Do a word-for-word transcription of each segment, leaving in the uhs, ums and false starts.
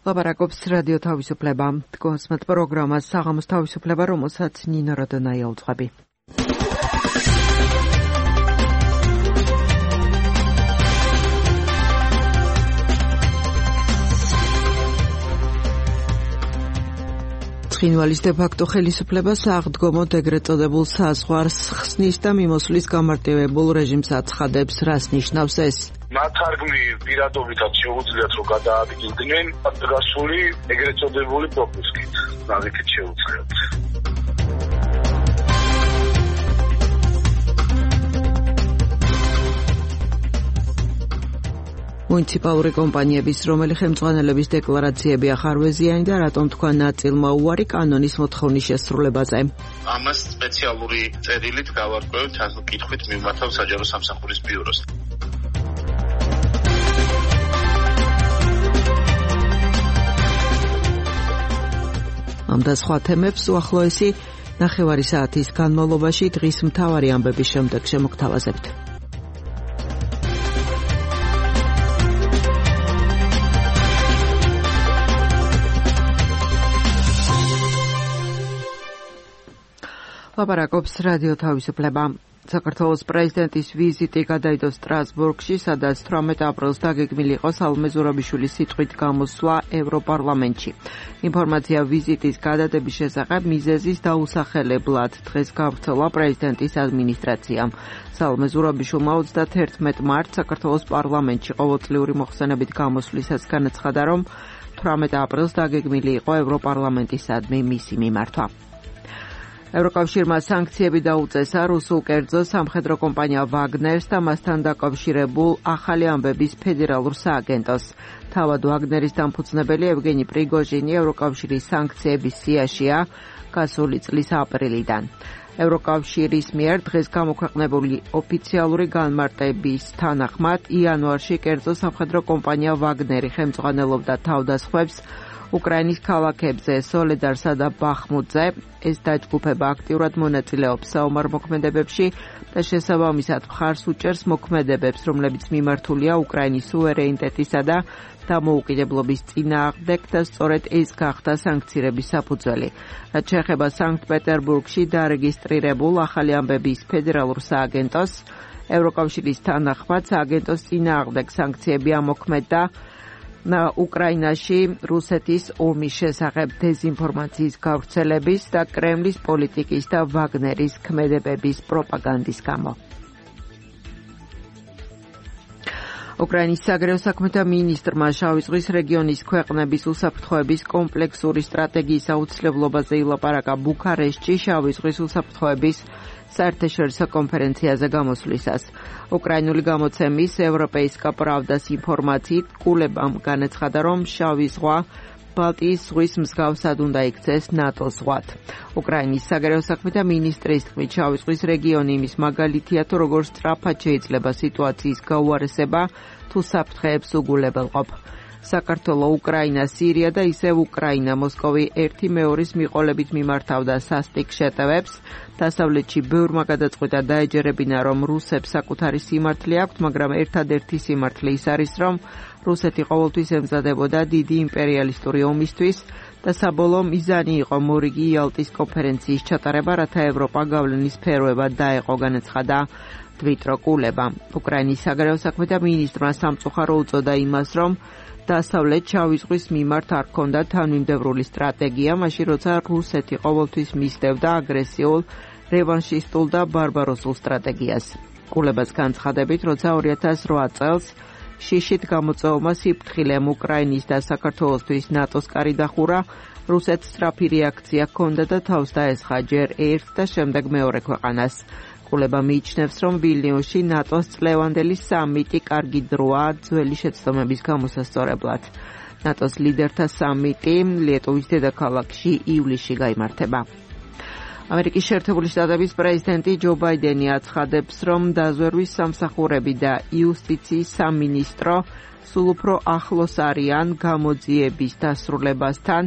ლაპარაკობს რადიო თავისუფლება. დგოსმთ პროგრამას საღამოს თავისუფლება, რომელსაც ნინო როდონაია უძღვები. ცხინვალის დე-ფაქტო ხელისუფლებას აღდგომოდ ეგრეთ წოდებულ საზღვარს ხსნის და მიმოსვლის გამარტივებულ რეჟიმს აცხადებს. რას ნიშნავს ეს? ნათარგმნი პირადობითაც შეუძლიათ რომ გადაადგილდნენ დგასული ეგრეთ წოდებული პროპუსკით. ნაზიქით შეუძლიათ. მუნიციპალური კომპანიების რომელი ხელმძღვანელების დეკლარაციები ახარვეზიანი და რატომ თქვა ნაწილმა უარი კანონის მოთხოვნის შესრულებაზე. ამას სპეციალური წერილით გავარკვევთ, ასე კითხვით მივმართავ საჯარო სამსახურის ბიუროს. ამ და სხვა თემებს უახლოესი ნახევარი საათის განმავლობაში დღის მთავარი ამბების შემდეგ შემოგთავაზებთ. ლაპარაკობს რადიო თავისუფლება. საქართველოს პრეზიდენტის ვიზიტი გადაიდო სტრასბურგში, სადაც თვრამეტ აპრილს დაგეგმილი იყო სალომე ზურაბიშვილის სიტყვით გამოსვლა ევროპარლამენტში. ინფორმაცია ვიზიტის გადადების შესახებ მიზეზის დაუსახელებლად დღეს გავრცელა პრეზიდენტის ადმინისტრაციამ. სალომე ზურაბიშვილმა ოცდაათერთმეტ მარტს საქართველოს პარლამენტში ყოველწლიური მოხსენებით გამოსვლისას განაცხადა, რომ თვრამეტ აპრილს დაგეგმილი იყო ევროპარლამენტისადმი მისი მიმართვა. ევროკავშირმა სანქციები დაუწესა რუსულ კერძო სამხედრო კომპანია ვაგნერს და მასთან დაკავშირებულ ახალი ამბების ფედერალურ სააგენტოს. თავად ვაგნერის დამფუძნებელი ევგენი პრიგოჟინი ევროკავშირის სანქციების სიაშია გასული წლის აპრილიდან. ევროკავშირის მიერ დღეს გამოქვეყნებული ოფიციალური განმარტების თანახმად იანვარში კერძო სამხედრო კომპანია ვაგნერი ხელმძღვანელობდა თავდასხმებს უკრაინის ქალაქებზე სოლედარსა და ბახმუტზე. ეს დაჯგუფება აქტიურად მონაწილეობს საომარ მოქმედებებში და შესაბამისად მხარს უჭერს მოქმედებებს, რომლებიც მიმართულია უკრაინის სუვერენიტეტისა და დამოუკიდებლობის წინააღმდეგ და სწორედ ეს გახდა სანქციების საფუძველი. რაც შეეხება სანქტ-პეტერბურგში დარეგისტრირებულ ახალი ამბების ფედერალურ სააგენტოს, ევროკავშირის თანახმად სააგენტოს წინააღმდეგ სანქციები ამოქმედა უკრაინაში რუსეთის ომის შესახებ დეზინფორმაციის გავრცელების და კრემლის პოლიტიკის და ვაგნერის ქმედებების პროპაგანდის გამო. უკრაინის საგარეო საქმეთა მინისტრმა შავი ზღვის რეგიონის ქვეყნების უსაფრთხოების კომპლექსური სტრატეგიის აუცილებლობაზე ილაპარაკა ბუქარესტში შავი ზღვის უსაფრთხოების საერთაშორისო კონფერენციაზე გამოსვლისას. უკრაინული გამოცემის ევროპეისკა პრავდას ინფორმაციით კულებამ განაცხადა, რომ შავი ზღვა ბალტიის ზღვის მსგავსად უნდა იქცეს ნატოს ზღვად. უკრაინის საგარეო საქმეთა მინისტრის თქმით, შავი ზღვის რეგიონი იმის მაგალითია, თუ როგორ სწრაფად შეიძლება სიტუაციის გაუარესება თუ საფრთხეებს უგულებელყოფ. საქართველო, უკრაინა, სირია და ისევ უკრაინა მოსკოვი ერთი მეორის მიყოლებით მიმართავდა სასტიკ შეტევებს. დასავლეთში ბევრმა გადაწყვიტა დაეჯერებინა, რომ რუსებს საკუთარი სიმართლე აქვთ, მაგრამ ერთადერთი სიმართლე ის არის, რომ რუსეთი ყოველთვის ემზადებოდა დიდი იმპერიალისტური ომისთვის და საბოლოო მიზანი იყო მორიგი იალტის კონფერენციის ჩატარება, რათა ევროპა გავლენის სფეროებად დაეყო, განაცხადა დმიტრო კულება. უკრაინის საგარეო საქმეთა მინისტრმა სამწუხარო უწოდა იმას, რომ დასავლეთ შავი ზღვის მიმართ არ ჰქონდა თანმიმდევრული სტრატეგია, მაშინ როცა რუსეთი ყოველთვის მისდევდა აგრესიულ, რევანშისტულ და ბარბაროსულ სტრატეგიას. კულებას განცხადებით, როცა ორი ათას რვა წელს შიშით გამოწვევმა სიფრთხილემ უკრაინის და საქართველოსთვის ნატოს კარი დახურა, რუსეთს სწრაფი რეაქცია ჰქონდა და თავს დაესხა ჯერ ერთ და შემდეგ მეორე ქვეყანას. კულება მიიჩნევს, რომ ვილნიუსში ნატოს წლევანდელი სამიტი კარგი დროა ძველი შეცდომების გამოსასწორებლად. ნატოს ლიდერთა სამიტი ლიეტუვის დედაქალაქში ივლისში გაიმართება. ამერიკის შეერთებული შტატების პრეზიდენტი ჯო ბაიდენი აცხადებს, რომ დაზვერვის სამსახურები და იუსტიციის სამინისტრო სულ უფრო ახლოს არიან გამოძიების დასრულებასთან,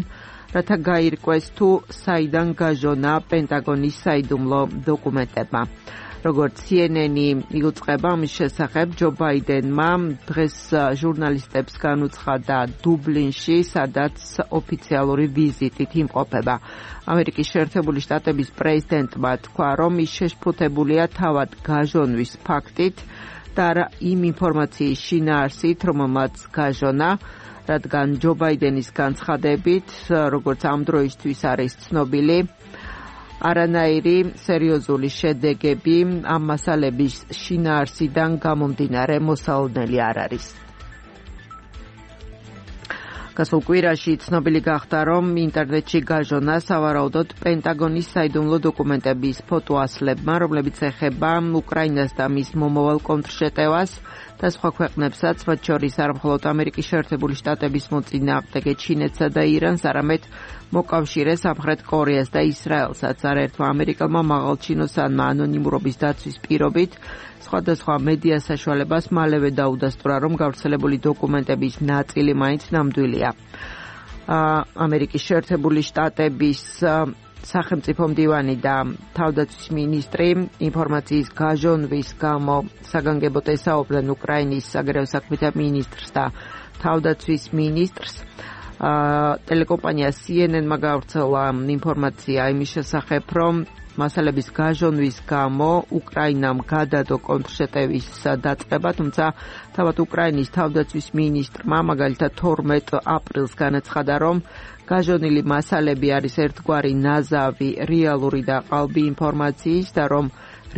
რათა გაირკვეს თუ საიდან გაჟონა პენტაგონის საიდუმლო დოკუმენტებმა. როგორც C N N-ი იუწყება ამის შესახებ, ჯო ბაიდენმა დღეს ჟურნალისტებს განუცხადა დუბლინში, სადაც ოფიციალური ვიზიტით იმყოფება. ამერიკის შეერთებული შტატების პრეზიდენტმა თქვა, რომ ის შეშფოთებულია თავად გაჟონვის ფაქტით და იმ ინფორმაციის შინაარსით, რომელმაც გაჟონა, რადგან ჯო ბაიდენის განცხადებით, როგორც ამ დროისთვის არის ცნობილი, არანაირი სერიოზული შედეგები ამ მასალების შინაარსიდან გამომდინარე მოსალოდნელი არ არის. გასულ კვირაში ცნობილი გახდა, რომ ინტერნეტში გაჟონა სავარაუდოდ პენტაგონის საიდუმლო დოკუმენტების ფოტოასლებმა, რომლებიც ეხება უკრაინას და მის მომავალ კონტრშეტევას და სხვა ქვეყნებსაც, მათ შორის არ მხოლოდ ამერიკის შეერთებული შტატების მოწინააღმდეგე ჩინეთსა და ირანს, არამედ მოკავშირე სამხრეთ კორეას და ისრაელსაც. არაერთმა ამერიკელმა მაღალჩინოსანმა ანონიმურობის დაცვის პირობით სხვადასხვა მედია საშუალებას მალევე დაუდასტურა, რომ გავრცელებული დოკუმენტების ნაწილი მაინც ნამდვილია. ამერიკის შეერთებული შტატების სახელმწიფო მდივანი და თავდაცვის მინისტრი ინფორმაციის გაჟონვის გამო საგანგებოდ ესაუბრნენ უკრაინის საგარეო საქმეთა მინისტრს და თავდაცვის მინისტრს. ტელეკომპანია C N N-მა გავრცელა ინფორმაცია იმის შესახებ, რომ მასალების გაჟონვის გამო უკრაინამ გადადო კონტრშეტევის დაწყება, თუმცა თავად უკრაინის თავდაცვის მინისტრმა მაგალითად თორმეტ აპრილს განაცხადა, რომ გაჟონილი მასალები არის ერთგვარი ნაზავი რეალური და ყალბი ინფორმაციის და რომ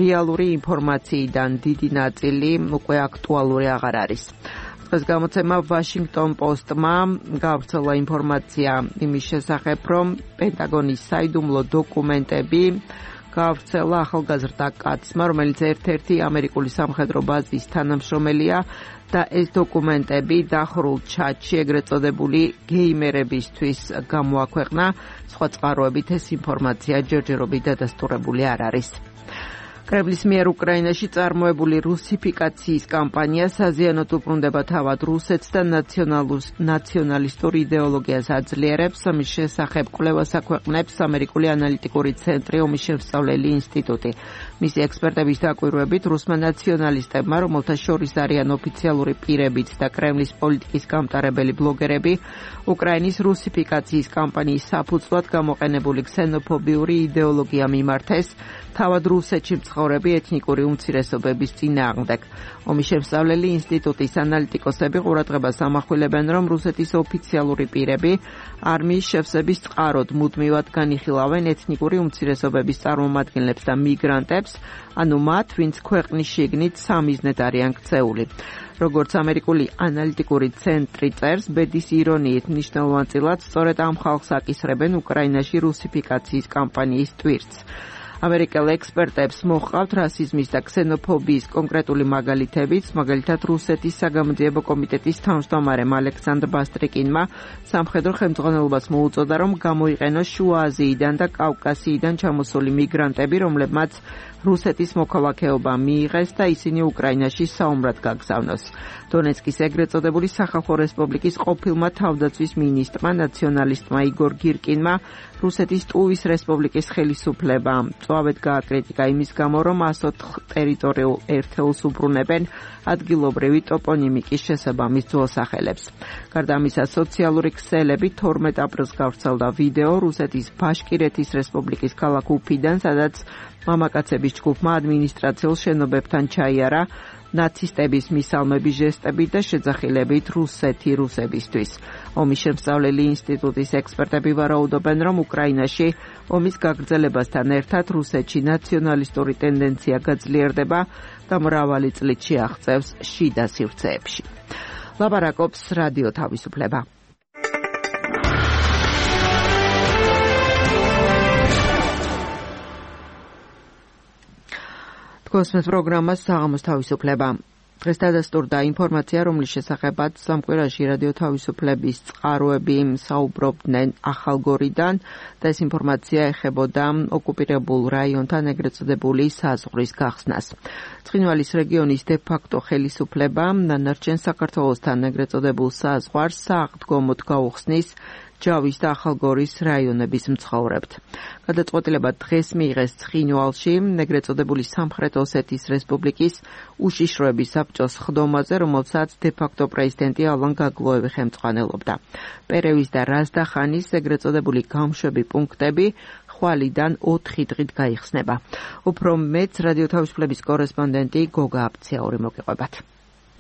რეალური ინფორმაციიდან დიდი ნაწილი უკვე აქტუალური აღარ არის. დღეს გამოცემა Washington Post-მა გავრცელა ინფორმაცია იმის შესახებ, რომ პენტაგონის საიდუმლო დოკუმენტები გავრცელა ახალგაზრდა კაცმა, რომელიც ერთ-ერთი ამერიკული სამხედრო ბაზის თანამშრომელია და ეს დოკუმენტები დახურულ ჩატში ეგრეთ წოდებული გეიმერებისთვის გამოაქვეყნა. სხვა წყაროებით ეს ინფორმაცია ჯერჯერობით დადასტურებული არ არის. კრემლის მიერ უკრაინაში წარმოებული რუსიფიკაციის კამპანია საზიანოდ უბრუნდება თავად რუსეთს და ნაციონალისტურ იდეოლოგიას აძლიერებს. ამის შესახებ კვლევას აქვეყნებს ამერიკული ანალიტიკური ცენტრი ომის შემსწავლელი ინსტიტუტი. მისი ექსპერტების დაკვირვებით, რუსმა ნაციონალისტებმა, რომელთა შორის არიან ოფიციალური პირებიც და კრემლის პოლიტიკის გამტარებელი ბლოგერები, უკრაინის რუსიფიკაციის კამპანიის საფუძვლად გამოყენებული ქსენოფობიური იდეოლოგია მიმართეს თავად რუსეთში მცხოვრები ეთნიკური უმცირესობების წინააღმდეგ. ომის შემსწავლელი ინსტიტუტის ანალიტიკოსები ყურადღებას ამახვილებენ, რომ რუსეთის ოფიციალური პირები არმიის შევსების წყაროდ მუდმივად განიხილავენ ეთნიკური უმცირესობების წარმომადგენლებს და მიგრანტებს, ანუ მათ, ვინც ქვეყნის შიგნით სამიზნედ არიან ქცეული. როგორც ამერიკული ანალიტიკური ცენტრი წერს, ბედის ირონიით მნიშვნელოვანწილად სწორედ ამ ხალხს აკისრებენ უკრაინაში რუსიფიკაციის კამპანიის ტვირთს. ამერიკელ ექსპერტებს მოჰყავთ რასიზმის და ქსენოფობიის კონკრეტული მაგალითებიც, მაგალითად რუსეთის საგამოძიებო კომიტეტის თავმჯდომარემ ალექსანდრ ბასტრიკინმა სამხედრო ხელმძღვანელობას მოუწოდა, რომ გამოიყენოს შუა აზიიდან და კავკასიიდან ჩამოსული მიგრანტები, რომლებმაც რუსეთის მოქალაქეობა მიიღეს და ისინი უკრაინაში საომრად გაგზავნოს. დონეცკის ეგრეთ წოდებული სახალხო რესპუბლიკის ყოფილმა თავდაცვის მინისტრმა, ნაციონალისტმა იგორ გირკინმა რუსეთის ტუვის რესპუბლიკის ხელისუფლებამ მწვავედ გააკრიტიკა იმის გამო, რომ ას ოთხ ტერიტორიულ ერთეულს უბრუნებენ ადგილობრივი ტოპონიმიკის შესაბამის ძველსახელებს. გარდა ამისა, სოციალური ქსელები თორმეტ აპრილს გავრცელდა ვიდეო რუსეთის ბაშკირეთის რესპუბლიკის ქალაქ უფიდან, სადაც მამაკაცების ჯგუფმა ადმინისტრაციულ შენობებთან ჩაიარა ნაცისტების მისალმების ჟესტებით და შეძახილებით რუსეთი რუსებისთვის. ომის შემსწავლელი ინსტიტუტის ექსპერტები ვარაუდობენ, რომ უკრაინაში ომის გაგრძელებასთან ერთად რუსეთში ნაციონალისტური ტენდენცია გაძლიერდება და მრავალი წლით შეაღწევს შიდა სივრცეებში. ლაპარაკობს რადიო თავისუფლება. კოსმოს პროგრამას საღამოს თავისუფლება. დღეს დადასტურდა ინფორმაცია, რომლის შესახებაც სამკვირაში რადიო თავისუფლების წყაროები საუბრობდნენ ახალგორიდან და ეს ინფორმაცია ეხებოდა ოკუპირებულ რაიონთან ეგრეთ წოდებული საზღვრის გახსნას. ცხინვალის რეგიონის დე-ფაქტო ხელისუფლება ნანარჩენ საქართველოსთან ეგრეთ წოდებულ საზღვარს სააღდგომოდ გაუხსნის ჯავის და ახალგორის რაიონების მცხოვრებთ. გადაწყვეტილება დღეს მიიღეს ცხინვალში, ეგრეთ წოდებული სამხრეთ ოსეთის რესპუბლიკის უშიშროების საბჭოს ხდომაზე, რომელსაც დე-ფაქტო პრეზიდენტი ალან გაგლოევი ხელმძღვანელობდა. პერევის და რაზდახანის ეგრეთ წოდებული გამშვები პუნქტები ხვალიდან ოთხი დღით გაიხსნება. უფრო მეც რადიო თავისუფლების კორესპონდენტი გოგა აბცეაური მოგიყვებათ.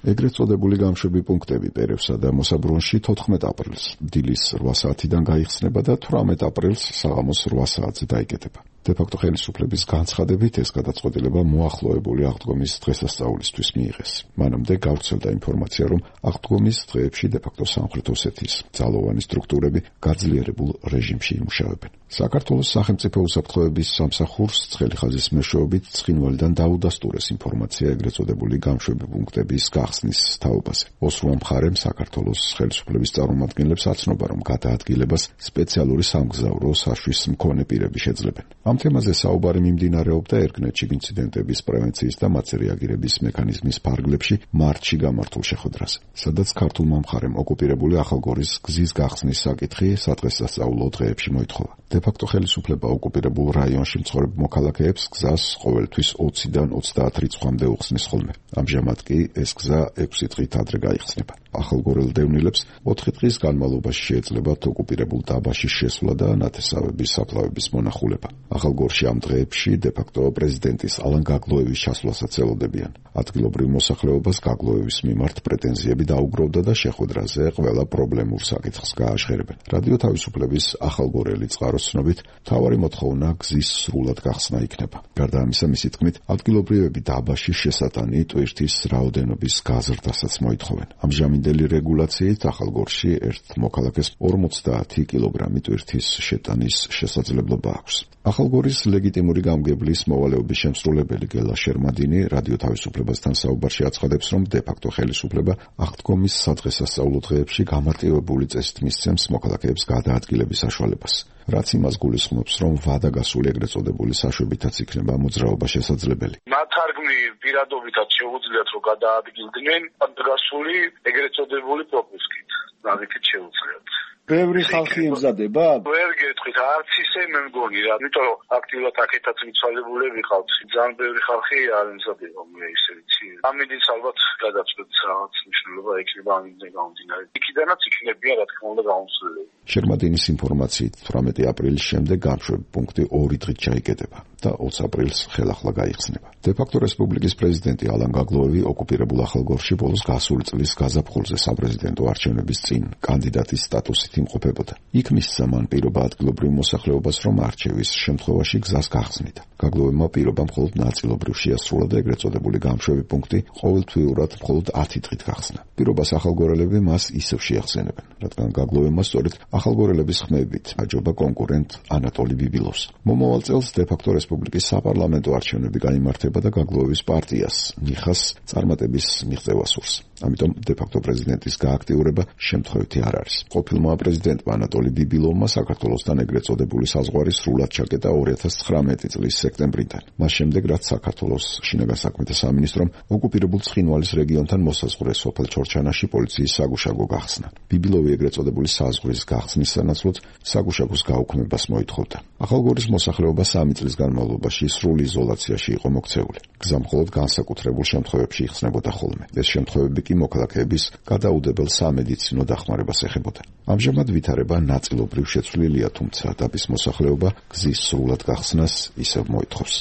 ეგრეთ წოდებული გამშვები პუნქტები პერევსა და მოსაბრუნში თოთხმეტ აპრილს დილის რვა საათიდან გაიხსნება და თვრამეტ აპრილს საღამოს რვა საათზე დაიკეტება. დე-ფაქტო ხელისუფლების განცხადებით ეს გადაწყვეტილება მოახლოებული აღდგომის დღესასწაულისთვის მიიღეს. მანამდე გავრცელდა ინფორმაცია, რომ აღდგომის დღეებში დე-ფაქტო სამხრეთ ოსეთის ძალოვანი სტრუქტურები გაძლიერებულ რეჟიმში იმუშავებენ. საქართველოს სახელმწიფო უსაფრთხოების სამსახურს ცხელი ხაზის მეშვეობით ცხინვალიდან დაუდასტურეს ინფორმაცია ეგრეთ წოდებული გამშვები პუნქტების გახსნის თაობაზე. ოსრუა მხარემ საქართველოს ხელისუფლების წარმომადგენლებს აცნობა, რომ გადაადგილებას სპეციალური სამგზავრო საშვის მქონე პირები შეძლებენ. ამ თემაზე საუბარი მიმდინარეობდა ერგნეთში ინციდენტების პრევენციის და მათზე რეაგირების მექანიზმის ფარგლებში მარტში გამართულ შეხვედრაზე, სადაც ქართულმა მხარემ ოკუპირებული ახალგორის გზის გახსნის საკითხი სადღესასწაულო დღეებში მოითხოვა. დე-ფაქტო ხელისუფლება ოკუპირებულ რაიონში მცხოვრებ მოქალაქეებს გზას ყოველთვის ოციდან ოცდაათ რიცხვამდე უხსნის ხოლმე. ამჟამად კი ეს გზა ექვსი დღით ადრე გაიხსნება. ახალგორელ დევნილებს ოთხი დღის განმავლობაში შეეძლებათ ოკუპირებულ დაბაში შესვლა და ნათესავების საფლავების მონახულება. ახალგორში ამ დღეებში დე-ფაქტო პრეზიდენტის ალან გაგლოევის ჩასვლასაც ელოდებიან. ადგილობრივ მოსახლეობას გაგლოევის მიმართ პრეტენზიები დაუგროვდა და შეხვედრაზე ყველა პრობლემურ საკითხს გააჟღერებენ. რადიო თავისუფლების ახალგორელი წყაროს ცნობით, მთავარი მოთხოვნა გზის სრულად გახსნა იქნება. გარდა ამისა, მისი თქმით, ადგილობრივები დაბაში შესატანი ტვირთის რაოდენობის გაზრდასაც მოითხოვენ. ამჟამინდელი რეგულაციით ახალგორში ერთ მოქალაქეს ორმოცდაათი კილოგრამი ტვირთის შეტანის შესაძლებლობა აქვს. ახალგორის ლეგიტიმური გამგებლის მოვალეობის შემსრულებელი გელა შერმადინი რადიო თავისუფლებასთან საუბარში აცხადებს, რომ დე-ფაქტო ხელისუფლება აღდგომის სადღესასწაულო დღეებში გამარტივებული წესით მისცემს მოქალაქეებს გადაადგილების საშუალებას. რაც იმას გულისხმობს, რომ ვადა გასული ეგრეთ წოდებული საშვებითაც იქნება მოძრაობა შესაძლებელი. ნათარგმნი პირადობითაც შეუძლიათ, რომ გადაადგილდნენ გასული ეგრეთ წოდებული პროპუსკით. ნაგეთით შეუძლიათ. ბევრი ხალხი ემზადება? ვერ გეტყვით, არც ისე მე მგონი რა, იმიტომ რომ აქტიურად აქეთაც მიცვალებულები ყავთ. ძალიან ბევრი ხალხი არ ემზადება, მე ისე ვიცი. ამიტომ ალბათ გადაწყვეტს რაღაც მნიშვნელობა ექნება ამიდან გამომდინარე. იქიდანაც იქნებიან რა თქმა უნდა გამოსვლები. შერმადინის ინფორმაციით თვრამეტი აპრილის შემდეგ გამშვები პუნქტი ორი დღით ჩაიკეტება და ოცი აპრილს ხელახლა გაიხსნება. დე-ფაქტო რესპუბლიკის პრეზიდენტი ალან გაგლოევი ოკუპირებულ ახალგორში ბოლოს გასული წლის გაზაფხულზე საპრეზიდენტო არჩევნების წინ კანდიდატის სტატუსით იმყოფებოდა. იქ მისცა მან პირობა ადგილობრივ მოსახლეობას, რომ არჩევის შემთხვევაში გზას გახსნიდა. გაგლოევმა პირობა მხოლოდ ნაწილობრივ შეასრულა და ეგრეთ წოდებული გამშვები პუნქტი ყოველთვიურად მხოლოდ ათი დღით გახსნა. პირობას ახალგორელები მას ისევ შეახსენებენ, რადგან გაგლოევმა სწორედ ახალგორელების ხმებით აჯობა კონკურენტ ანატოლი ბიბილოვს. მომავალ წელს დე-ფაქტო რესპუბლიკის საპარლამენტო არჩევნები გაიმართება და გაგლოევის პარტიას ნიხას წარმატების მიღწევა სურს. ამიტომ დე-ფაქტო პრეზიდენტის გააქტიურება შემთხვევითი არ არის. ყოფილმა პრეზიდენტმა ანატოლი ბიბილოვმა საქართველოსთან ეგრეთ წოდებული საზღვარი სრულად ჩაკეტა ორი ათას ცხრამეტი წლის სექტემბრიდან. მას შემდეგ, რაც საქართველოს შინაგან საქმეთა სამინისტრომ ოკუპირებულ ცხინვალის რეგიონთან მოსაზღვრე სოფელ ჩორჩანაში პოლიციის საგუშაგო გახსნა. ბიბილოვი ეგრეთ წოდებული საზღვრის გახსნის სანაცვლოდ საგუშაგოს გაუქმებას მოითხოვდა. ახალგორის მოსახლეობა სამი წლის განმავლობაში სრულ იზოლაციაში იყო მოქცეული. გზა მხოლოდ განსაკუთრებულ შემთხვევებში იხსნებოდა ხოლმე. ეს შემთხვევები კი მოქალაქეების გადაუდებელ სამედიცინო დახმარებას ეხებოდა. ამჟამად ვითარება ნაწილობრივ შეცვლილია, თუმცა დაბის მოსახლეობა გზის სრულად გახსნას ისევ მოითხოვს.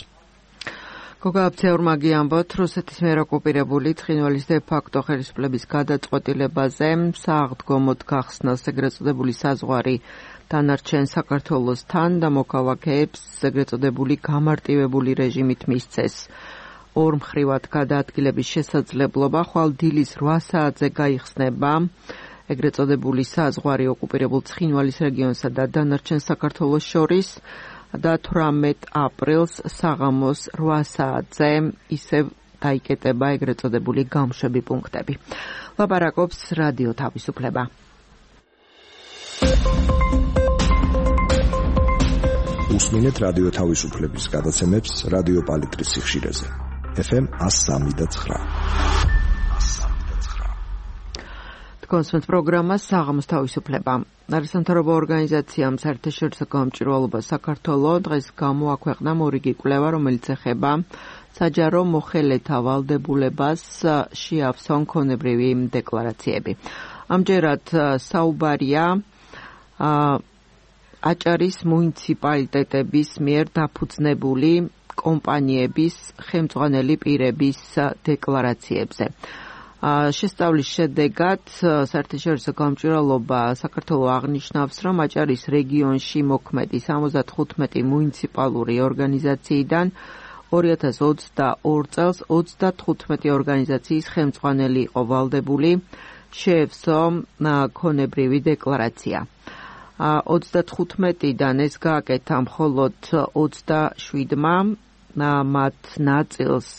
გოგა აბცეაურმა გიამბოთ, რუსეთის მიერ ოკუპირებული ცხინვალის დე-ფაქტო ხელისუფლების გადაწყვეტილებაზე სააღდგომოდ გახსნას ეგრეთ წოდებული საზღვარი დანარჩენ საქართველოსთან და მოქალაქეებს ეგრეთ წოდებული გამარტივებული რეჟიმით მისცეს. ორმხრივად გადაადგილების შესაძლებლობა ხვალ დილის რვა საათზე გაიხსნება. ეგრეთ წოდებული საზღვარი ოკუპირებულ ცხინვალის რეგიონსა და დანარჩენ საქართველოს შორის და თვრამეტ აპრილს საღამოს რვა საათზე ისევ დაიკეტება ეგრეთ წოდებული გამშვები პუნქტები. ლაპარაკობს რადიო თავისუფლება. უსმინეთ რადიო თავისუფლების გადაცემებს რადიო პალიტრის სიხშირეზე. ეფ ემ one oh three point nine. კონსვენც პროგრამა საღამოს თავისუფლება. არასამთავრობო ორგანიზაციამ საერთაშორისო გამჭვირვალობა საქართველოს დღეს გამოაქვეყნა მორიგი კვლევა, რომელიც ეხება საჯარო მოხელეთა ვალდებულებას შეავსონ ქონებრივი დეკლარაციები. ამჯერად საუბარია აჭარის მუნიციპალიტეტების მიერ დაფუძნებული კომპანიების ხელმძღვანელი პირების დეკლარაციებზე. შესწავლის შედეგად საერთაშორისო გამჭვირვალობა საქართველოს აღნიშნავს, რომ აჭარის რეგიონში მოქმედი სამოცდათხუთმეტი მუნიციპალური ორგანიზაციიდან ორი ათას ოცდაორ წელს ოცდათხუთმეტი ორგანიზაციის ხელმძღვანელი იყო ვალდებული შეევსო ქონებრივი დეკლარაცია. ოცდათხუთმეტიდან ეს გააკეთა მხოლოდ ოცდაშვიდმა, მათ ნაწილს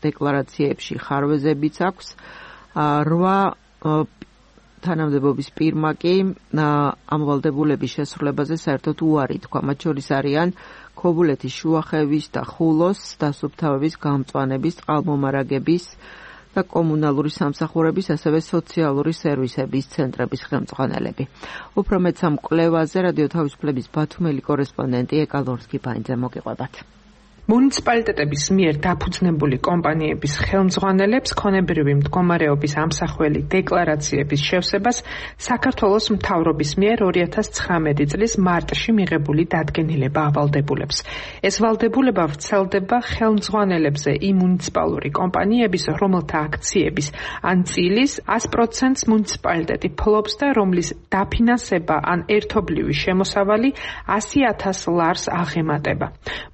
დეკლარაციებში ხარვეზებიც აქვს. რვა თანამდებობის პირმა კი ამ ვალდებულების შესრულებაზე საერთოდ უარი თქვა. მათ შორის არიან ქობულეთის, შუახევის და ხულოს დასუფთავების, გამწვანების, წყალმომარაგების და კომუნალური სამსახურების, ასევე სოციალური სერვისების ცენტრების ხელმძღვანელები. უფრო მეტს ამ კვლევაზე რადიო თავისუფლების ბათუმელი კორესპონდენტი ეკალორსკი ფაინძე მოგიყვებათ. მუნიციპალიტეტების მიერ დაფუძნებული კომპანიების ხელმძღვანელებს ქონებრივი მდგომარეობის ამსახველი დეკლარაციების შევსებას საქართველოს მთავრობის მიერ ორი ათას ცხრამეტი წლის მარტში მიღებული დადგენილება ავალდებულებს. ეს ვალდებულება ვრცელდება ხელმძღვანელებზე იმ მუნიციპალური კომპანიების, რომელთა აქციების ან წილის ას პროცენტს მუნიციპალიტეტი ფლობს და რომლის დაფინანსება ან ერთობლივი შემოსავალი ასი ათას ლარს აღემატება.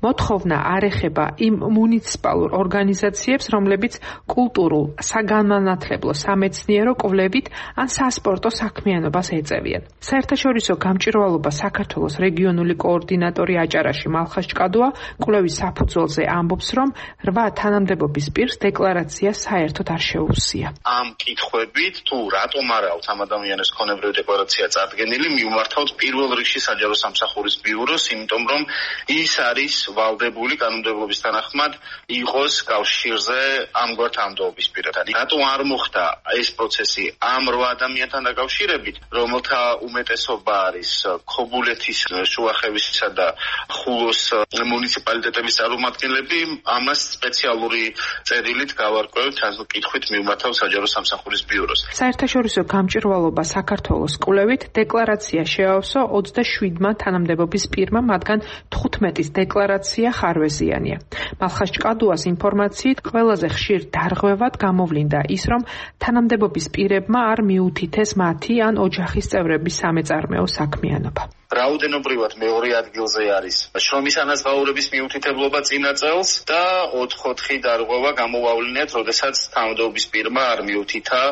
მოთხოვნა არ ეხება იმ მუნიციპალურ ორგანიზაციებს, რომლებიც კულტურულ, საგანმანათლებლო, სამეცნიერო კვლევით ან სასპორტო საქმიანობას ეწევიან. საერთაშორისო გამჭვირვალობა საქართველოს რეგიონული კოორდინატორი აჭარაში მალხაზ ჭკადუა კვლევის საფუძველზე ამბობს, რომ რვა თანამდებობის პირს დეკლარაცია საერთოდ არ შეუცია. ამ კითხვებით თუ რატომ არ აქვს ამ ადამიანის ქონებრივი დეკლარაცია წარდგენილი, მივმართავთ პირველ რიგში საჯარო სამსახურის ბიუროს, იმიტომ რომ ის არის ვალდებული კანონმდებლობის თანახმად იყოს კავშირზე ამგვარ თანამდებობის პირთან. რატო არ მოხდა ეს პროცესი ამ რვა ადამიანთან დაკავშირებით, რომელთა უმეტესობა არის ქობულეთის, შუახევისა და ხულოს მუნიციპალიტეტების წარმომადგენლები, ამას სპეციალური წერილით გავარკვევთ, ან კითხვით მივმართავ საჯარო სამსახურის ბიუროს. საერთაშორისო გამჭვირვალობა საქართველოს კვლევით დეკლარაცია შეავსო ოცდაშვიდმა თანამდებობის პირმა, მათგან თხუთმეტის დეკლარაცია ხარვეზიანია. მალხაზ ჭკადუას ინფორმაციით ყველაზე ხშირ დარღვევად გამოვლინდა ის, რომ თანამდებობის პირებმა არ მიუთითეს მათი ან ოჯახის წევრების სამეწარმეო საქმიანობა. რაოდენობრივად მეორე ადგილზე არის შრომის ანაზღაურების მიუთითებლობა წინა წელს და ოთხ-ოთხი დარღვევა გამოვავლინეთ, როდესაც თანამდებობის პირმა არ მიუთითა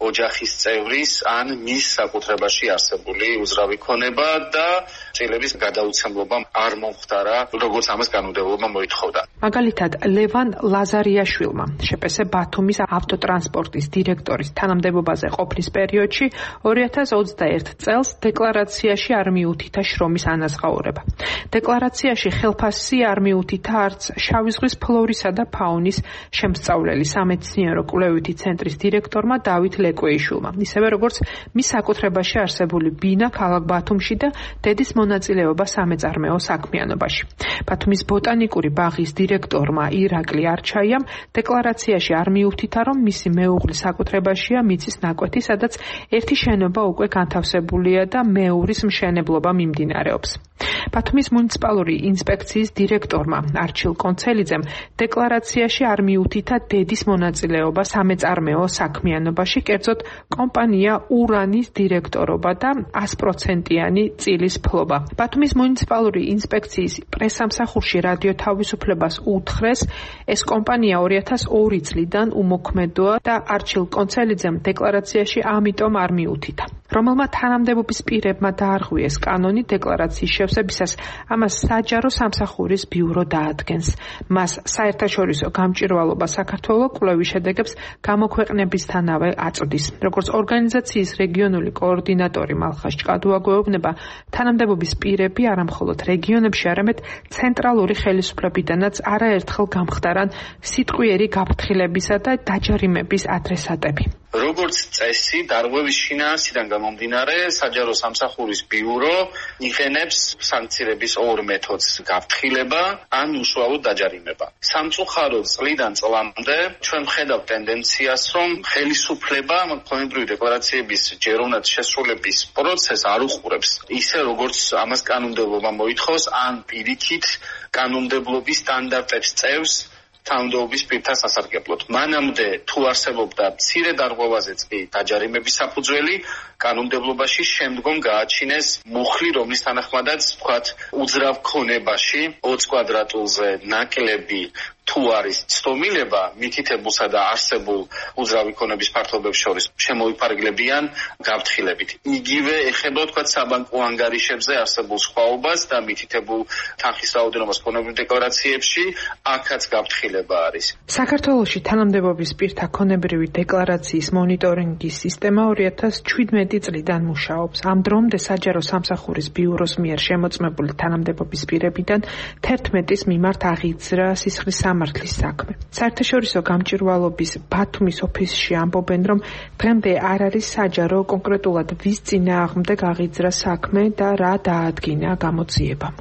ოჯახის წევრის ან მის საკუთრებაში არსებული უზრავი ქონება და წილების გადაუცემლობა არ მომხდარა, როგორც ამას კანონმდებლობა მოითხოვდა. მაგალითად, ლევან ლაზარიაშვილმა შეპესე ბათუმის ავტოტრანსპორტის დირექტორის თანამდებობაზე ყოფნის პერიოდში ორი ათას ოცდაერთ წელს დეკლარაციაში არ მიუთითა შრომის ანაზღაურება. დეკლარაციაში ხელფასი არ მიუთითა არც შავი ზღვის ფლორისა და ფაუნის შემსწავლელი სამეცნიერო კვლევითი ცენტრის დირექტორმა დავით ლეკვეიშვილმა, ისევე როგორც მის საკუთრებაში არსებული ბინა ქალაქ ბათუმში და დედის მონაწილეობა სამეწარმეო საქმიანობაში. ბათუმის ბოტანიკური ბაღის დირექტორმა ირაკლი არჩაიამ დეკლარაციაში არ მიუთითა, რომ მისი მეუღლის საკუთრებაშია მიწის ნაკვეთი, სადაც ერთი შენობა უკვე განთავსებულია და მეუღლის მშენებლობა მიმდინარეობს. ბათუმის მუნიციპალური ინსპექციის დირექტორმა არჩილ კონცელიძემ დეკლარაციაში არ მიუთითა დედის მონაწილეობა სამეწარმეო საქმიანობაში, კერძოდ კომპანია ურანის დირექტორობა და ას პროცენტიანი წილის ფლობა. ბათუმის მუნიციპალური ინსპექციის პრესამსახურში რადიო თავისუფლებას უთხრეს, ეს კომპანია ორი ათას ორი წლიდან უმოქმედოა და არჩილ კონცელიძემ დეკლარაციაში ამიტომ არ მიუთითა. რომელმა თანამდებობის პირებმა დაარღვიეს კანონი დეკლარაციის შევსებისას, ამას საჯარო სამსახურის ბიურო დაადგენს. მას საერთაშორისო გამჭვირვალობა საქართველოს კვლევის შედეგებს გამოქვეყნებისთანავე აწვდის. როგორც ორგანიზაციის რეგიონული კოორდინატორი მალხაზ ჭკადუა გვეუბნება, თანამდებობის პირები არამხოლოდ რეგიონებში, არამედ ცენტრალური ხელისუფლებიდანაც არაერთხელ გამხდარან სიტყვიერი გაფრთხილებისა და დაჯარიმების ადრესატები. როგორც წესი, დარღვევის შინაარსიდან გამომდინარე, საჯარო სამსახურის ბიურო იღენებს სანქცირების ორ მეთოდს: გაფრთხილება ან უშუალოდ დაჯარიმება. სამწუხაროდ წლიდან წლამდე ჩვენ ვხედავთ ტენდენციას, რომ ხელისუფლება ქონებრივი დეკლარაციების ჯეროვნად შესრულების პროცესს არ უყურებს ისე, როგორც ამას კანონმდებლობა მოითხოვს, ან პირიქით კანონმდებლობის სტანდარტებს წევს თანამდებობის პირთა სასარგებლოდ. მანამდე თუ არსებობდა მცირე დარღვევაზეც კი დაჯარიმების საფუძველი, კანონმდებლობაში შემდგომ გააჩინეს მუხლი, რომლის თანახმადაც ვთქვათ, უძრავ ქონებაში ოცი კვადრატულზე ნაკლები თუ არის ცდომილება, მითითებულსა და არსებულ უძრავი ქონების ფართობებს შორის შემოიფარგლებიან გაფრთხილებით. იგივე ეხება ვთქვათ საბანკო ანგარიშებზე არსებულ სხვაობას და მითითებულ თანხის რაოდენობას ქონებრივ დეკლარაციებში, აქაც გაფრთხილება არის. საქართველოში თანამდებობის პირთა ქონებრივი დეკლარაციის მონიტორინგის სისტემა ორი ათას შვიდმეტი წლიდან მუშაობს. ამ დრომდე საჯარო სამსახურის ბიუროს მიერ შემოწმებული თანამდებობის პირებიდან თერთმეტის მიმართ აღიძრა სისხლის სამართლის საქმე. საერთაშორისო გამჭვირვალობის ბათუმის ოფისში ამბობენ, რომ დღემდე არ არის საჯარო კონკრეტულად ვის წინააღმდეგ აღიძრა საქმე და რა დაადგინა გამოძიებამ.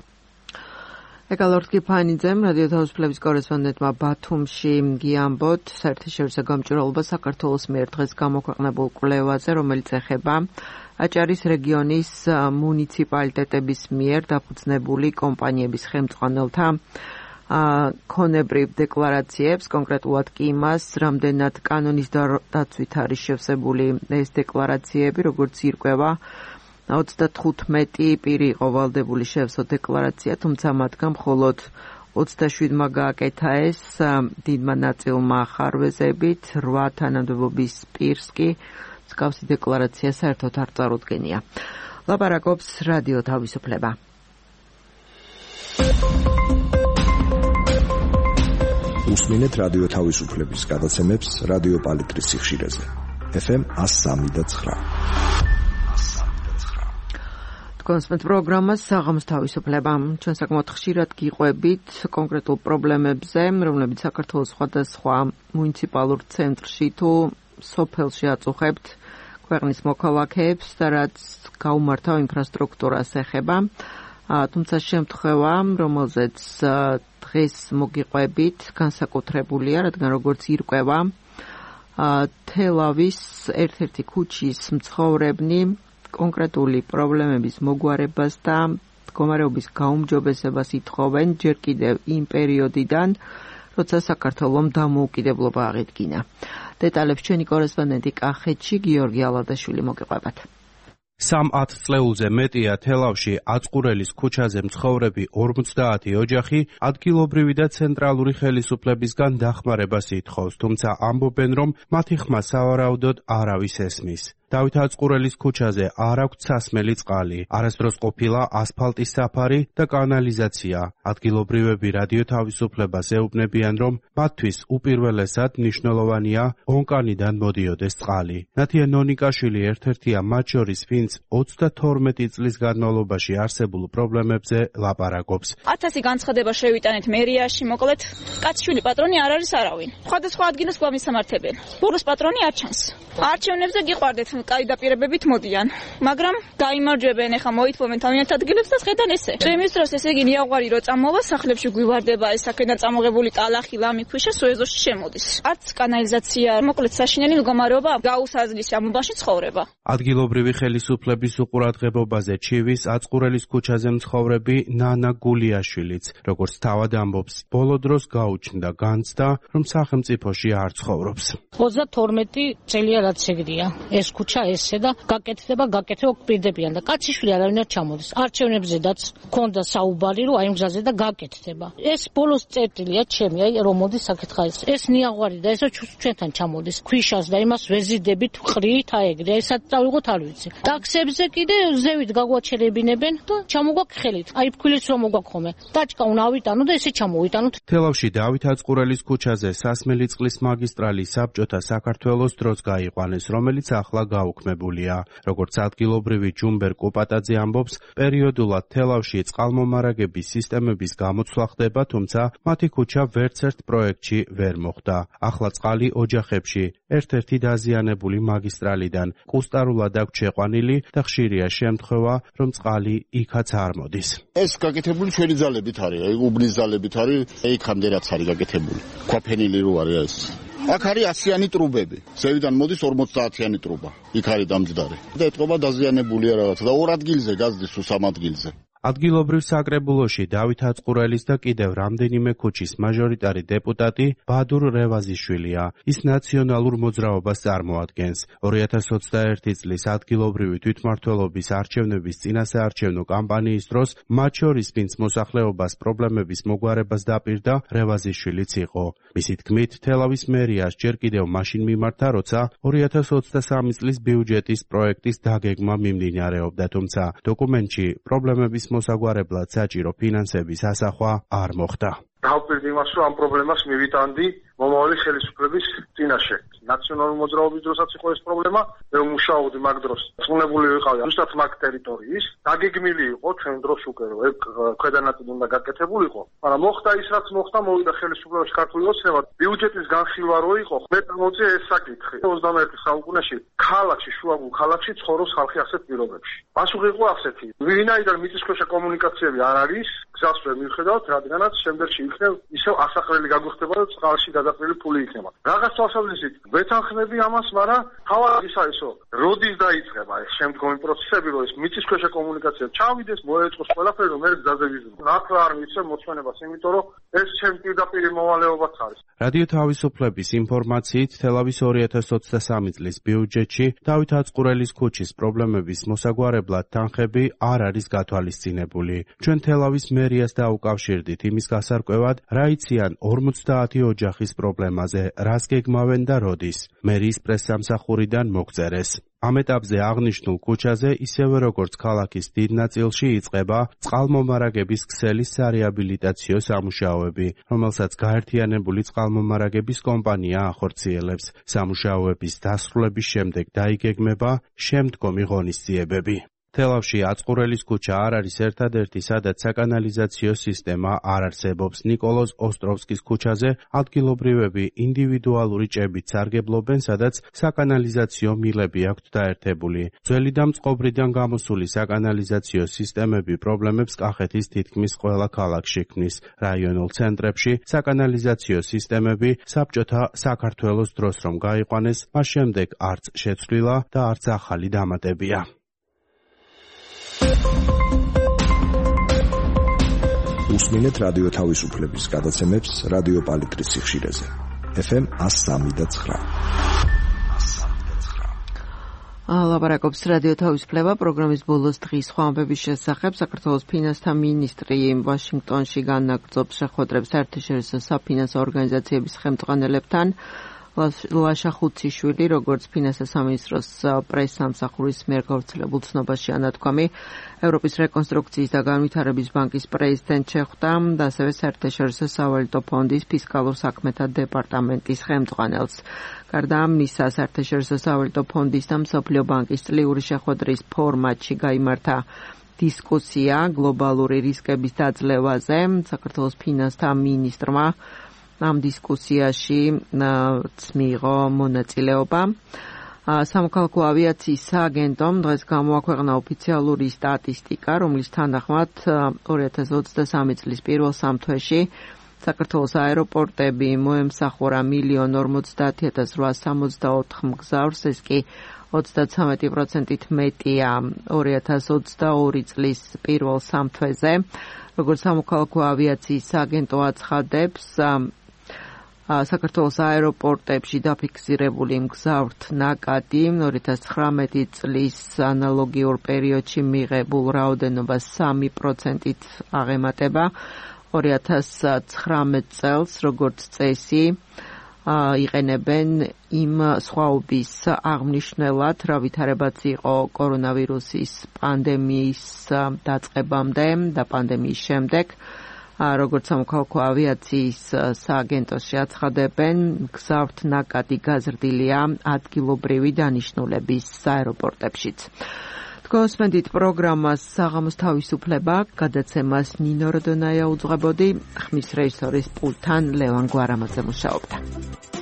ეკალორდ კიფანიძემ, რადიო თავისუფლების კორესპონდენტმა ბათუმში გიამბოთ, საერთაშორისო გამჭვირვალობა საქართველოს მიერ დღეს გამოქვეყნებულ კვლევაზე, რომელიც ეხება აჭარის რეგიონის მუნიციპალიტეტების მიერ დაფუძნებული კომპანიების ხელმძღვანელთა ქონებრივ დეკლარაციებს, კონკრეტულად კი იმას, რამდენად კანონის დაცვით არის შევსებული ეს დეკლარაციები, როგორც ირკვევა ოცდათხუთმეტი პირი იყო ვალდებული შევსო დეკლარაცია, თუმცა მათგან მხოლოდ ოცდაშვიდმა გააკეთა ეს, დიდმა ნაწილმა ხარვეზებით, რვა თანამდებობის პირს კი მსგავსი დეკლარაცია საერთოდ არ წარუდგენია. ლაპარაკობს რადიო თავისუფლება. უსმინეთ რადიო თავისუფლების გადაცემებს რადიო პალიტრის სიხშირეზე. ეფ ემ one oh three point nine. კონსპექტ პროგრამას საღამოს თავისუფლება. ჩვენ საკმაოდ ხშირად გიყვებით კონკრეტულ პრობლემებზე, რომლებიც საქართველოს სხვადასხვა მუნიციპალურ ცენტრში თუ სოფელში აწუხებთ ქვეყნის მოქალაქეებს და რაც გაუმართავ ინფრასტრუქტურას ეხება. თუმცა შემთხვევა, რომელზეც დღეს მოგიყვებით, განსაკუთრებულია, რადგან როგორც ირკვევა თელავის ერთ-ერთი ქუჩის მცხოვრებნი კონკრეტული პრობლემების მოგვარებას და მდგომარეობის გაუმჯობესებას ითხოვენ ჯერ კიდევ იმ პერიოდიდან, როცა საქართველომ დამოუკიდებლობა აღიდგინა. დეტალებს ჩვენი კორესპონდენტი კახეთში გიორგი ალადაშვილი მოგიყვებათ. სამ ათწლეულზე მეტია თელავში აწყურელის ქუჩაზე მცხოვრები ორმოცდაათი ოჯახი ადგილობრივი და ცენტრალური ხელისუფლებისგან დახმარებას ითხოვს, თუმცა ამბობენ, რომ მათი ხმა სავარაუდოდ არავის ესმის. დავით აწყურელის ქუჩაზე არ აქვს სასმელი წყალი, არასდროს ყოფილა ასფალტის საფარი და კანალიზაცია. ადგილობრივები რადიო თავისუფლებას ეუბნებიან, რომ მათთვის უპირველესად მნიშვნელოვანია ონკანიდან მოდიოდეს წყალი. ნათია ნონიკაშვილი ერთ-ერთია მათ შორის, ვინც ოცდათორმეტი წლის განმავლობაში არსებულ პრობლემებზე ლაპარაკობს. ათასი განცხადება შევიტანეთ მერიაში, მოკლედ კაცშვილი პატრონი არ არის არავინ. სხვადასხვა ადგილას გვამისამართებენ. ბუროს პატრონი არ ჩანს. არჩევნებზე გიყვარდეთ კაი დაპირებებით მოდიან, მაგრამ გაიმარჯვებენ, ეხა მოითხოვენ თავიანთ ადგილებს და შედან ესე. ჩემის დროს ესე იგი ნიაღვარი რო წამოვა, სახლებში გვივარდება ეს აქედან წამოღებული ტალახი, ლამი, ქვიშა სუეზოში შემოდის. არც კანალიზაცია, მოკლედ საშინელი მდგომარეობა გაუსაზლის ამბაში ცხოვრება. ადგილობრივი ხელისუფლების უყურადღებობაზე ჩივის აწყურელის ქუჩაზე მცხოვრები ნანა გულიაშვილიც, როგორც თავად ამბობს, ბოლო დროს გაუჩნდა განცდა, რომ სახელმწიფოში არ ცხოვრობს. ოცდათორმეტი წელია რაც ეგრეა. ეს ქუჩა ესე და გაკეთდება, გაკეთება პირდებიან და კაციშვილი არავინ არ ჩამოდის. არჩევნებზედაც ქონდა საუბარი, რომ აი ამ გზაზე და გაკეთდება. ეს ბოლოს წერტილია ჩემი, აი რომ მოდის საკითხა ეს. ეს ნიაღვარი და ესო ჩვენთან ჩამოდის. ქვიშას და იმას ვეზიდებით ყრით აეგრე. ესაც წავიღოთ არ ვიცი. ტაქსებზე კიდე ზევით გაგვაჩერებინებენ და ჩამოგვაქვს ხელით. აი ფქვილიც რომ მოგაქხომე. ტაჭკა უნდა ავიტანო და ესე ჩამოვიტანოთ. თელავში დავით აწყურელის ქუჩაზე სასმელი წყლის მაგისტრალი საბჭოთა საქართველოს დროს გაიყვანეს, რომელიც ახლა გაუქმებულია. როგორც ადგილობრივი ჯუმბერ კოპატაძე ამბობს, პერიოდულად თელავში წყალმომარაგების სისტემების გამოცვლა ხდება, თუმცა მათი ქუჩა ვერცერთ პროექტში ვერ მოხვდა. ახლა წყალი ოჯახებში ერთ-ერთი დაზიანებული მაგისტრალიდან კუსტარულად აქვს შეყვანილი და ხშირია შემთხვევა, რომ წყალი იქაც არ მოდის. ეს გაკეთებული ჩვენი ძალებით არის, აი უბნის ძალებით არის, იქამდე რაც არის გაკეთებული. ქვაფენილი რო არის ეს. აქ არის ასიანი ტრუბები. ზევიდან მოდის ორმოცდაათიანი ტრუბა. იქ არის დამჯდარი. და ეთყობა დაზიანებულია რაღაცა და ორ ადგილზე გაზდის თუ სამ ადგილზე. ადგილობრივ საკრებულოში დავით აწყურელის და კიდევ რამდენიმე ქუჩის მაჟორიტარი დეპუტატი ბადურ რევაზიშვილია. ის ნაციონალურ მოძრაობას წარმოადგენს. ორი ათას ოცდაერთი წლის ადგილობრივი თვითმმართველობის არჩევნების წინასაარჩევნო კამპანიის დროს მათ შორის ვინც მოსახლეობას პრობლემების მოგვარებას დაპირდა, რევაზიშვილიც იყო. მისი თქმით, თელავის მერიას ჯერ კიდევ მაშინ მიმართა, როცა ორი ათას ოცდასამი წლის ბიუჯეტის პროექტის დაგეგმა მიმდინარეობდა, თუმცა დოკუმენტში პრობლემების მოსაგვარებლად საჭირო ფინანსების ასახვა არ მოხდა. დავპირდი იმას, რომ ამ პრობლემას მივიტანდი მომავალი ხელისუფლების წინაშე. ნაციონალური მოძრაობის დროსაც იყო ეს პრობლემა, რომ მუშაობდი მაგ დროს. წუნებული ვიყავი ზუსტად მაგ ტერიტორიის, დაგეგმილი იყო ჩვენ დროს უკვე, რომ ეგ ქვედანაწილი უნდა გაკეთებულიყო, მაგრამ მოხდა ის, რაც მოხდა, მოვიდა ხელისუფლებაში ქართული ოცნება, ბიუჯეტის განხილვა რო იყო, მე მოწე ეს საკითხი. ოცდამეერთე საუკუნეში ქალაქში, შუაგულ ქალაქში ცხოვრობს ხალხი ასეთ პირობებში. პასუხი იყო ასეთი: ვინაიდან მიწისქვეშა კომუნიკაციები არ არის, გზას ვერ მივხედავთ, რადგანაც შემდეგში იქნებ ისევ ასაყრელი გაგვიხდება და წყალში გადაყრილი ფული იქნება. რაღაც თვალსაზრისით ვეთანხმები ამას, მაგრამ თავად ის არის, რომ როდის დაიწყება ეს შემდგომი პროცესები, რომ ეს მიწისქვეშა კომუნიკაცია ჩავიდეს, მოეწყოს ყველაფერი, რომ მე გზაზე ვიზრდო. ნახლა არ მიცემ მოწმენებას, იმიტომ რომ ეს ჩემ პირდაპირ მოვალეობაც არის. რადიო თავისუფლების ინფორმაციით, თელავის ორი ათას ოცდასამი წლის ბიუჯეტში დავით აწყურელის ქუჩის პრობლემების მოსაგვარებლად თანხები არ არის გათვალისწინებული. ჩვენ თელავის მერიას დაუკავშირდით იმის გასარკვევად, რა იციან ორმოცდაათი ოჯახის პრობლემაზე, რას გეგმავენ და როდის. მერიის პრესსამსახურიდან მოგწერეს. ამ ეტაპზე აღნიშნულ ქუჩაზე, ისევე როგორც ქალაქის დიდ ნაწილში, იწყება წყალმომარაგების ქსელის სარეაბილიტაციო სამუშაოები, რომელსაც გაერთიანებული წყალმომარაგების კომპანია ახორციელებს. სამუშაოების დასრულების შემდეგ დაიგეგმება შემდგომი ღონისძიებები. თელავში აწყურელის ქუჩა არ არის ერთადერთი, სადაც საკანალიზაციო სისტემა არ არსებობს. ნიკოლოზ ოსტროვსკის ქუჩაზე ადგილობრივები ინდივიდუალური ჭებით სარგებლობენ, სადაც საკანალიზაციო მილები აქვთ დაერთებული. ძველი და მწყობრიდან გამოსული საკანალიზაციო სისტემები პრობლემებს კახეთის თითქმის ყველა ქალაქში ქმნის. რაიონულ ცენტრებში საკანალიზაციო სისტემები საბჭოთა საქართველოს დროს რომ გაიყვანეს, მას შემდეგ არც შეცვლილა და არც ახალი დამატებია. უსმინეთ რადიო თავისუფლების გადაცემებს რადიო პალიტრის სიხშირეზე. ეფ ემ one oh three და nine. ლაპარაკობს რადიო თავისუფლება პროგრამის ბოლოს დღის ხვამბების შესახებ. საქართველოს ფინანსთა მინისტრი ვაშინგტონში განაგრძობს შეხვედრებს საერთაშორისო საფინანსო ორგანიზაციების ხელმძღვანელებთან. ლაშა ხუციშვილი, როგორც ფინანსთა სამინისტროს პრესსამსახურის მიერ გავრცელებულ ცნობაში ანათქვამი, ევროპის რეკონსტრუქციის და განვითარების ბანკის პრეზიდენტ შეხვდა და ასევე საერთაშორისო სავალუტო ფონდის ფისკალურ საქმეთა დეპარტამენტის ხელმძღვანელს. გარდა ამისა, საერთაშორისო სავალუტო ფონდის და მსოფლიო ბანკის წლიური შეხვედრის ფორმატში გაიმართა დისკუსია გლობალური რისკების დაძლევაზე. საქართველოს ფინანსთა მინისტრმა ამ დისკუსიაში მიიღო მონაწილეობა. სამოქალაქო ავიაციის სააგენტომ დღეს გამოაქვეყნა ოფიციალური სტატისტიკა, რომლის თანახმად ორი ათას ოცდასამი წლის პირველ სამთვეში საქართველოს აეროპორტები მოემსახურა მილიონ ორმოცდაათი ათას რვაას სამოცდაოთხ მგზავრს, ეს კი ოცდათვრამეტი პროცენტით მეტია ორი ათას ოცდაორი წლის პირველ სამთვეზე. როგორც სამოქალაქო ავიაციის სააგენტო აცხადებს, საქართველოს აეროპორტებში დაფიქსირებული მგზავრთ ნაკადი ორი ათას ცხრამეტი წლის ანალოგიურ პერიოდში მიღებულ რაოდენობას სამი პროცენტით აღემატება. ორი ათას ცხრამეტ წელს, როგორც წესი, იყენებენ იმ სხვაობის აღმნიშვნელად, რა ვითარებაც იყო კორონავირუსის პანდემიის დაწყებამდე და პანდემიის შემდეგ. როგორც სამოქალაქო ავიაციის სააგენტოში აცხადებენ, გზავრთ ნაკადი გაზრდილია ადგილობრივი დანიშნულების აეროპორტებშიც. გოსმენდით პროგრამას საღამოს თავისუფლება, გადაცემას ნინო როდონაია უძღვებოდი, ხმის რეჟისორის პულტთან ლევან გვარამაძე მუშაობდა.